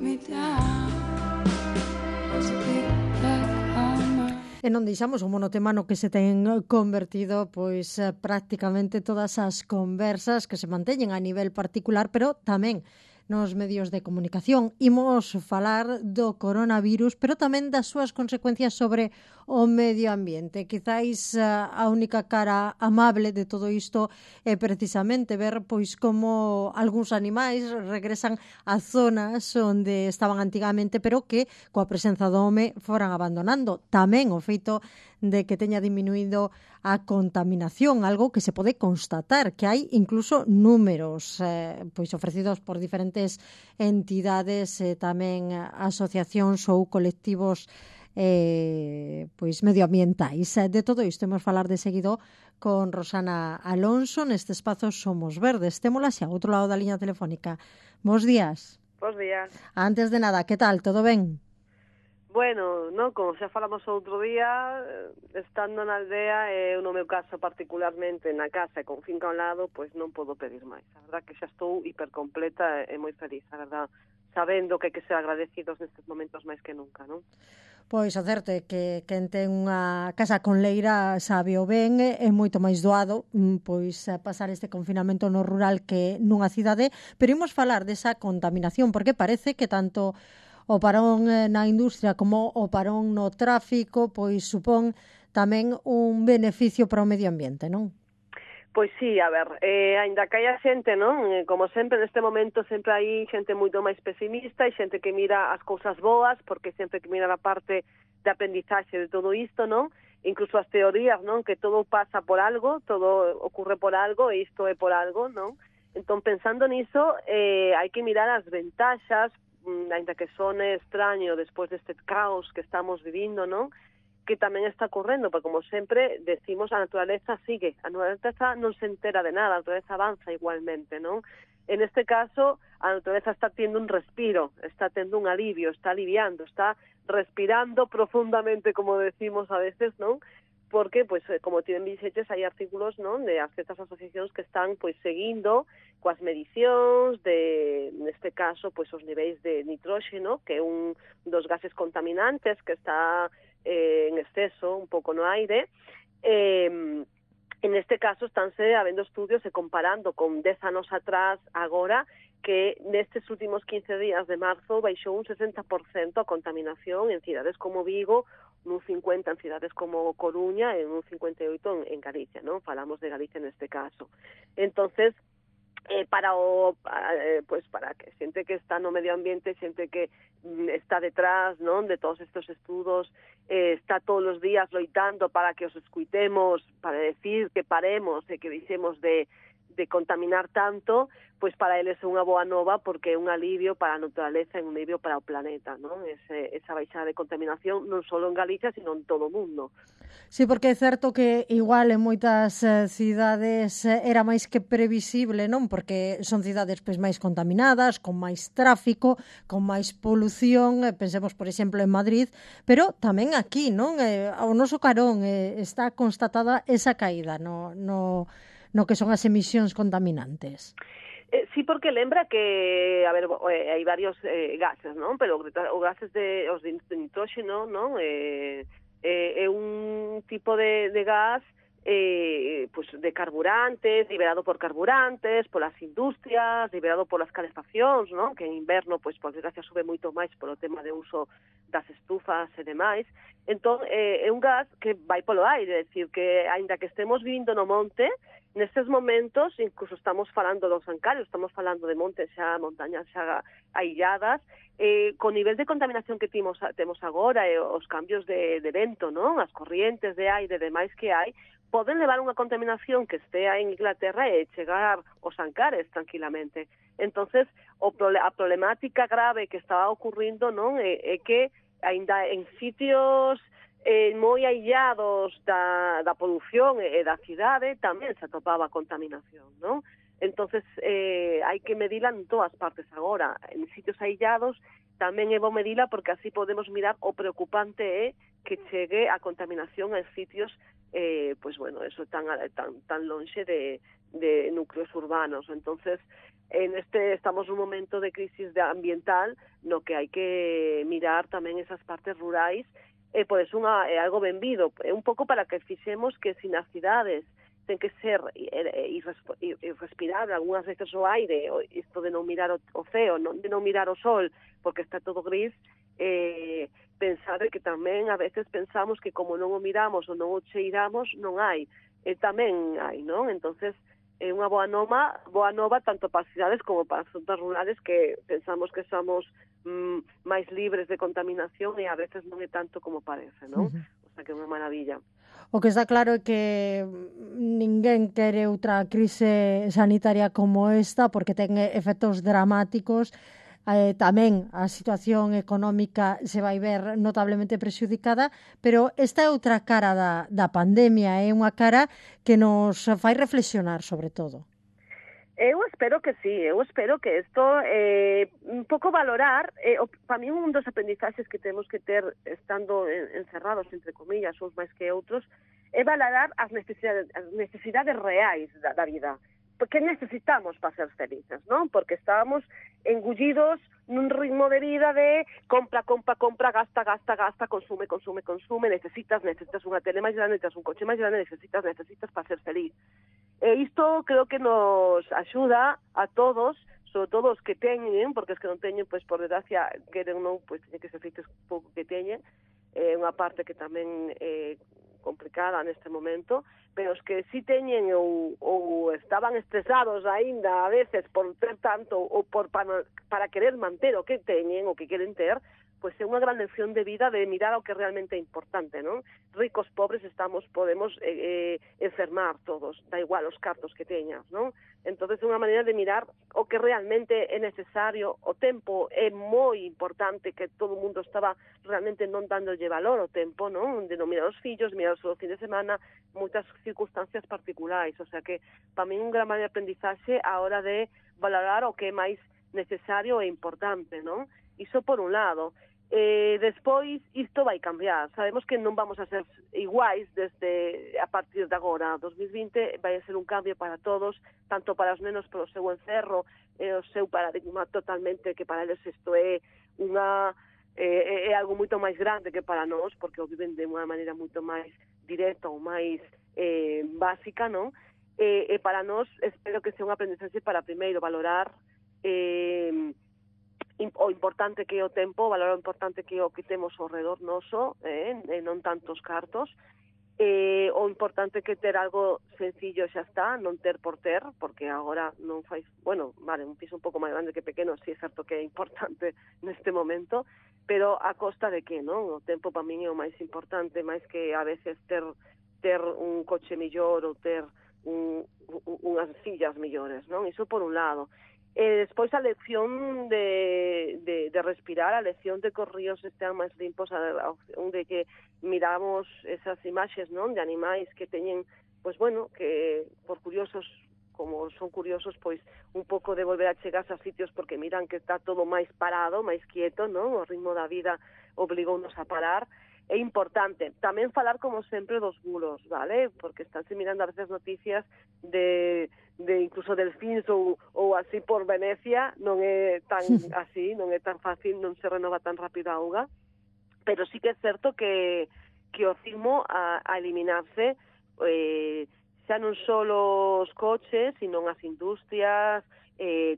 E non deixamos o monotema no que se ten convertido pois prácticamente todas as conversas que se manteñen a nivel particular, pero tamén nos medios de comunicación. Imos falar do coronavirus, pero tamén das súas consecuencias sobre o medio ambiente. Quizáis a única cara amable de todo isto é precisamente ver pois como algúns animais regresan a zonas onde estaban antigamente, pero que coa presenza do home foran abandonando. Tamén o feito de que teña diminuído a contaminación, algo que se pode constatar, que hai incluso números pois ofrecidos por diferentes entidades e tamén asociacións ou colectivos pois medioambientais. De todo isto imos falar de seguido con Rosana Alonso neste espazo Somos Verdes. Témola xa ao outro lado da liña telefónica. Bos días. Bos días. Antes de nada, que tal? Todo ben? Bueno, non, como xa falamos outro día, estando na aldea e no meu caso particularmente na casa e con finca ao lado, pois non podo pedir máis. A verdad que xa estou hipercompleta e moi feliz, a verdad, sabendo que hai que ser agradecidos nestes momentos máis que nunca, non? Pois o certo é que quen ten unha casa con leira sabe o ben, é moito máis doado pois pasar este confinamento no rural que nunha cidade, pero imos falar desa contaminación, porque parece que tanto o parón na industria como o parón no tráfico pois supón tamén un beneficio para o medio ambiente, non? Pois sí, a ver, aínda que hai xente, non? Como sempre, neste momento sempre hai xente moito máis pesimista e xente que mira as cousas boas, porque sempre que mira a parte de aprendizaxe de todo isto, non? Incluso as teorías, non? Que todo pasa por algo, todo ocurre por algo e isto é por algo, non? Entón, pensando niso, hai que mirar as ventaxas, aínda que sone extraño despois deste caos que estamos vivindo, non? Que tamén está ocorrendo, porque como sempre decimos, a naturaleza sigue, a naturaleza non se entera de nada, a naturaleza avanza igualmente, non? En este caso, a naturaleza está tendo un respiro, está tendo un alivio, está aliviando, está respirando profundamente, como decimos a veces, non? Porque, pois, como tiven dixetes, hai artículos, non, de as certas asociacións que están, pois, seguindo coas medicións de, neste caso, pois, os niveis de nitróxeno, que é un dos gases contaminantes que está en exceso un pouco no aire. En este caso, estánse habendo estudios e comparando con 10 anos atrás, agora, que nestes últimos 15 días de marzo baixou un 60% a contaminación en cidades como Vigo, nun 50 en cidades como Coruña e nun 58 en Galicia, non? Falamos de Galicia neste caso. Entonces, para que xente que está no medio ambiente, xente que está detrás, non, de todos estes estudos, está todos os días loitando para que os escuitemos, para decir que paremos e que deixemos de contaminar tanto, pois para eles é unha boa nova porque é un alivio para a naturaleza e un alivio para o planeta, non? Esa baixada de contaminación non só en Galicia, sino en todo o mundo. Sí, porque é certo que igual en moitas cidades era máis que previsible, non? Porque son cidades pois máis contaminadas, con máis tráfico, con máis polución, pensemos, por exemplo, en Madrid, pero tamén aquí, non? Ao noso carón está constatada esa caída no que son as emisións contaminantes. Sí, porque lembra que, a ver, hai varios gases, non? Pero os gases os de nitróxeno, non? É un tipo de gas pues de carburantes, liberado por carburantes, polas industrias, liberado polas calefaccións, non? Que en inverno, pois, por desgracia, sube moito máis polo tema de uso das estufas e demais. Entón, é un gas que vai polo aire, é dicir, que, aínda que estemos vivindo no monte, nestes momentos, incluso estamos falando dos Ancarios, estamos falando de montes xa, montañas xa ailladas, con nivel de contaminación que temos agora e os cambios de vento, non? As corrientes de aire e demais que hai, poden levar unha contaminación que estea en Inglaterra e chegar aos Ancares tranquilamente. Entonces, a problemática grave que estaba ocurrindo, non, é que aínda en sitios moi aillados da polución e da cidade tamén se atopaba contaminación, non? Entonces, hai que medila en todas partes agora. En sitios aillados tamén é bo medila porque así podemos mirar o preocupante é que chegue a contaminación en sitios pues bueno, eso tan lonxe de núcleos urbanos. Entonces, estamos nun momento de crisis ambiental no que hai que mirar tamén esas partes rurais, por eso é algo benvido, un pouco para que fixemos que sin as cidades ten que ser irrespirable algunhas veces o aire, isto de non mirar o ceo, de non mirar o sol, porque está todo gris, pensar que tamén a veces pensamos que como non o miramos ou non o cheiramos, non hai. Tamén hai, non? Entonces, é unha boa nova tanto para as cidades como para as zonas rurales que pensamos que somos máis libres de contaminación e a veces non é tanto como parece, non? O sea, que é unha maravilla. O que está claro é que ninguén quere outra crise sanitaria como esta porque ten efectos dramáticos. Tamén a situación económica se vai ver notablemente prexudicada, pero esta é outra cara da pandemia, é unha cara que nos fai reflexionar sobre todo. Eu espero que sí, eu espero que isto un pouco valorar, para mí un dos aprendizaxes que temos que ter estando encerrados, entre comillas, uns máis que outros, é valorar as necesidades reais da vida. Que necesitamos para ser felices, non? Porque estábamos engullidos nun ritmo de vida de compra, gasta, consume, necesitas unha tele máis grande, necesitas un coche máis grande, necesitas para ser feliz. E isto creo que nos axuda a todos, sobre todo os que teñen, porque os que non teñen, pois por desgracia, queren non, pois teñen que ser felices pouco que teñen, unha parte que tamén complicada neste momento, pero os que sí teñen ou estaban estresados aínda a veces por ter tanto ou para querer manter o que teñen, o que queren ter, pois é unha gran lección de vida de mirar o que realmente é importante, non? Ricos, pobres, podemos enfermar todos, da igual os cartos que teñas, non? Entonces é unha maneira de mirar o que realmente é necesario, o tempo é moi importante, que todo o mundo estaba realmente non dándolle valor ao tempo, non? De non mirar os fillos, mirar o fin de semana, moitas circunstancias particulares, o sea que para mí un gran maneira de aprendizaxe a hora de valorar o que é máis necesario e importante, non? Iso por un lado. Despois isto vai cambiar, sabemos que non vamos a ser iguais desde a partir de agora. 2020 vai a ser un cambio para todos, tanto para os nenos polo seu encerro, o seu paradigma totalmente, que para eles isto é algo moito máis grande que para nós, porque o viven de unha maneira moito máis directa ou máis básica, non? E para nós espero que sea un aprendizaxe para primeiro valorar o importante que é o tempo, valorar o importante que é o que temos ao redor noso, non tantos cartos, o importante que ter algo sencillo xa está, non ter por ter, porque agora non fai, bueno, vale, un piso un pouco máis grande que pequeno, sí é certo que é importante neste momento, pero a costa de que, non? O tempo para min é o máis importante, máis que a veces ter un coche millor ou ter unhas sillas millores, non? Iso por un lado. Despois a lección de respirar, a lección de que os ríos estean máis limpos, onde que miramos esas imaxes, non, de animais que teñen, pois bueno, que por curiosos, como son curiosos, pois un pouco de volver a chegarse a sitios porque miran que está todo máis parado, máis quieto, non? O ritmo da vida obligounos a parar. É importante tamén falar, como sempre, dos bulos, vale? Porque estánse mirando a veces noticias de incluso delfíns ou así por Venecia, non é tan así, non é tan fácil, non se renova tan rápido a auga, pero sí que é certo que o ritmo a eliminarse xa non só os coches, sino as industrias,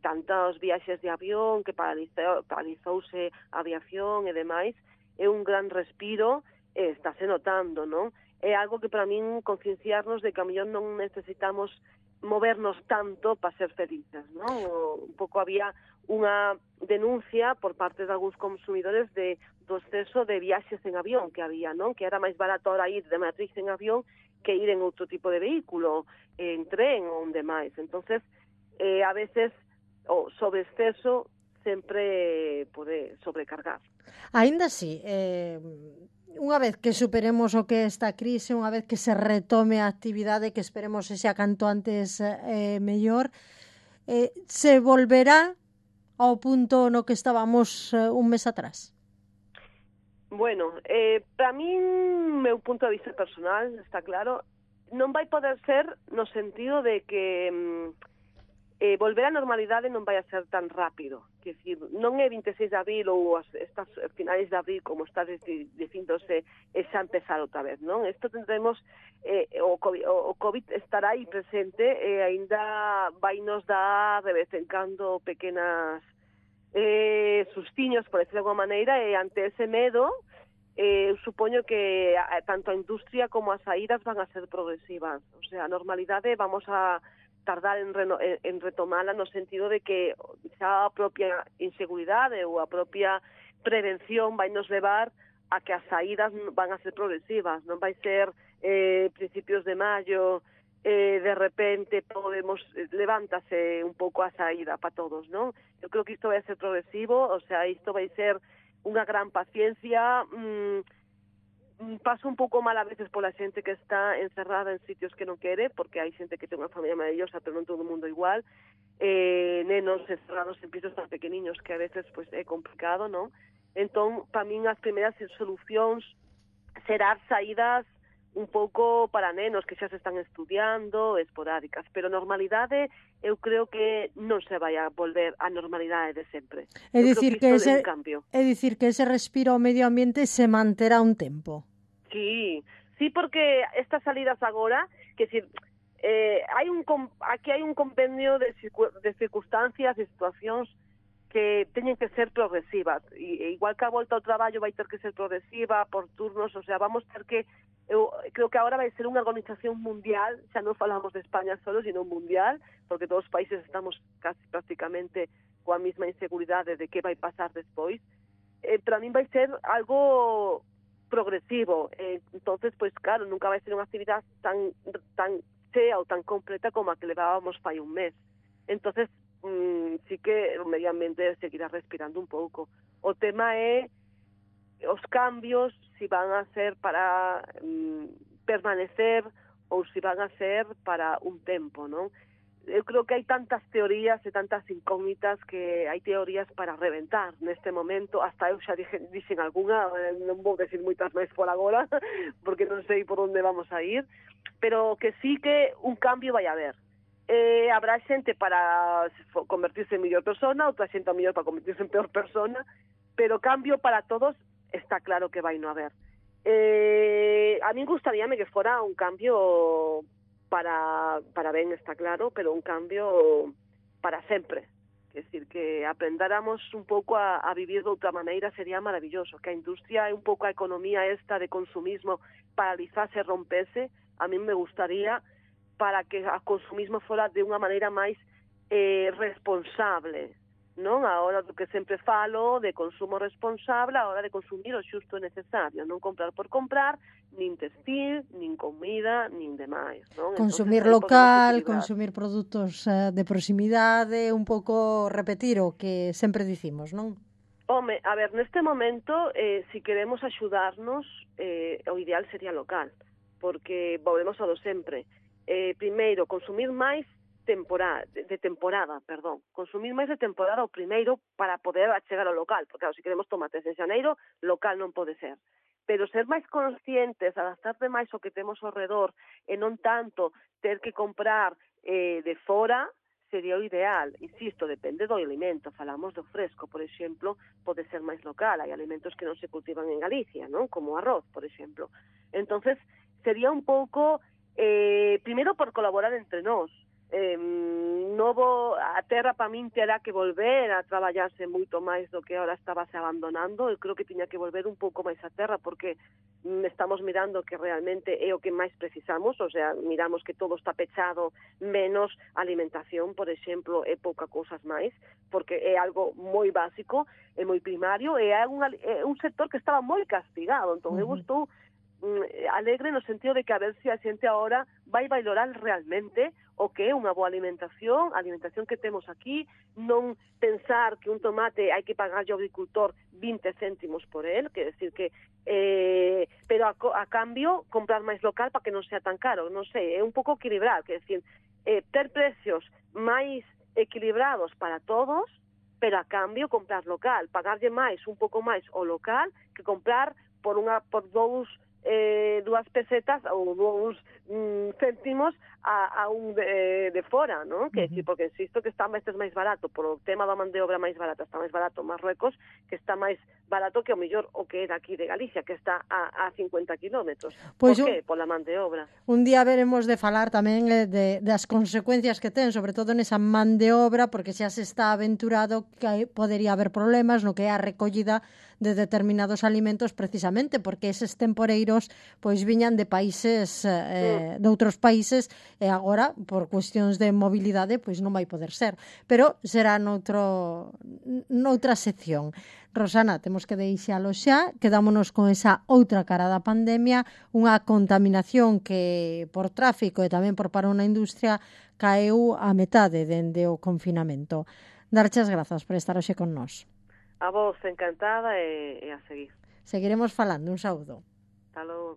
tantos viaxes de avión que paralizouse a aviación e demais, é un gran respiro, estáse notando, non? É algo que para min concienciarnos de que a mellor non necesitamos movernos tanto para ser felices, non? Un pouco había unha denuncia por parte de algúns consumidores do exceso de viaxes en avión que había, non? Que era máis barato ahora ir de Madrid en avión que ir en outro tipo de vehículo, en tren ou en demais. Entonces, a veces o sobre exceso sempre pode sobrecargar. Aínda así, unha vez que superemos o que é esta crise, unha vez que se retome a actividade, que esperemos que xa canto antes mellor, se volverá ao punto no que estábamos un mes atrás? Bueno, para min, meu punto de vista personal, está claro, non vai poder ser no sentido de que volver á normalidade non vai a ser tan rápido. Quer decir, non é 26 de abril ou estas finais de abril como está dicíndose xa empezar outra vez, non? Isto tendremos, o COVID estará aí presente e aínda vai nos dar de vez en cando pequenas sustiños, por decirlo de alguma maneira, e ante ese medo eu supoño que tanto a industria como as saídas van a ser progresivas. O sea, a normalidade vamos a tardar en retomala no sentido de que xa a propia inseguridade ou a propia prevención vai nos levar a que as saídas van a ser progresivas, non vai ser principios de maio, de repente podemos levántase un pouco a saída para todos, non? Eu creo que isto vai ser progresivo, o sea, isto vai ser unha gran paciencia. Paso un pouco mal a veces pola xente que está encerrada en sitios que non quere, porque hai xente que ten unha familia maravillosa, pero non todo o mundo igual, nenos encerrados en pisos tan pequeniños que a veces pues, é complicado, non? Entón, para min as primeiras solucións serán saídas un pouco para nenos que xa se están estudiando, esporádicas, pero normalidade eu creo que non se vai a volver a normalidade de sempre. É dicir que ese respiro ao medio ambiente se manterá un tempo. Sí, porque estas salidas agora, que si aquí hai un compendio de circunstancias, de situacións que teñen que ser progresivas, e igual que a volta ao traballo vai ter que ser progresiva, por turnos, o sea, vamos ter que, eu creo que agora vai ser unha organización mundial, xa non falamos de España solo, sino mundial, porque todos os países estamos casi prácticamente coa mesma inseguridade de que vai pasar despois, pero a min vai ser algo progresivo, entonces, pues claro, nunca vai ser unha actividade tan chea ou tan completa como a que levábamos fai un mes. Entonces, sí que o medio ambiente seguirá respirando un pouco. O tema é os cambios, si van a ser para permanecer ou si van a ser para un tempo, non? Eu creo que hai tantas teorías e tantas incógnitas que hai teorías para reventar neste momento, hasta eu xa dixen algunha, non vou decir moitas máis por agora, porque non sei por onde vamos a ir, pero que sí que un cambio vai haber. Habrá xente para convertirse en mellor persona, outra xente a mellor para convertirse en peor persona, pero cambio para todos está claro que vai non haber. A mí gustaríame que fora un cambio para ben, está claro, pero un cambio para sempre. É dicir, que aprendáramos un pouco a vivir de outra maneira sería maravilloso, que a industria e un pouco a economía esta de consumismo paralizase e rompese, a mí me gustaría para que o consumismo fora de unha maneira máis responsable, non? A hora do que sempre falo de consumo responsable, a hora de consumir o xusto e necesario, non comprar por comprar, nin textil, nin comida, nin demais, non? Consumir local, consumir produtos de proximidade, un pouco repetir o que sempre dicimos, non? Home, a ver, neste momento, si queremos axudarnos, o ideal sería local, porque volvemos ao do sempre. Primeiro, consumir máis de temporada, consumir máis de temporada o primeiro para poder achegar ao local, porque claro, se queremos tomates en xaneiro, local non pode ser. Pero ser máis conscientes, adaptarte máis ao que temos ao redor e non tanto ter que comprar de fora, sería o ideal. Insisto, depende do alimento. Falamos do fresco, por exemplo, pode ser máis local. Hai alimentos que non se cultivan en Galicia, non? Como o arroz, por exemplo. Entonces, sería un pouco, primeiro por colaborar entre nós. A terra para min terá que volver a traballarse moito máis do que ahora estaba se abandonando. Eu creo que tiña que volver un pouco máis a terra porque estamos mirando que realmente é o que máis precisamos, o sea, miramos que todo está pechado, menos alimentación, por exemplo, é pouca cousas máis, porque é algo moi básico, é moi primario, e é un sector que estaba moi castigado. Entón, eu estou alegre no sentido de que a ver se a xente agora vai valorar realmente o que é unha boa alimentación, a alimentación que temos aquí, non pensar que un tomate hai que pagar ao agricultor 20 céntimos por él, que decir que pero a cambio comprar máis local para que non sea tan caro, non sei, é un pouco equilibrar, que decir, ter precios máis equilibrados para todos, pero a cambio comprar local, pagarlle máis, un pouco máis o local, que comprar por dous 2 pesetas ou 2 céntimos a un de fora, non? Que decir, porque insisto que está máis barato, por o tema da man de obra máis barata, está máis barato Marruecos, que está máis barato que o mellor o que é daqui de Galicia, que está a 50 kilómetros. Pois Por que? Pola man de obra. Un día veremos de falar tamén das consecuencias que ten, sobre todo nesa man de obra, porque xa se está aventurado que podería haber problemas no que é a recollida de determinados alimentos, precisamente porque eses temporeiros pois viñan de países de outros países e agora por cuestións de mobilidade pois non vai poder ser, pero será noutra sección. Rosana, temos que deixalo xa, quedámonos con esa outra cara da pandemia, unha contaminación que por tráfico e tamén por paro na industria caeu a metade dende o confinamento. Darche as grazas por estar hoxe con nós. A vos, encantada e a seguir. Seguiremos falando. Un saúdo. Hasta logo.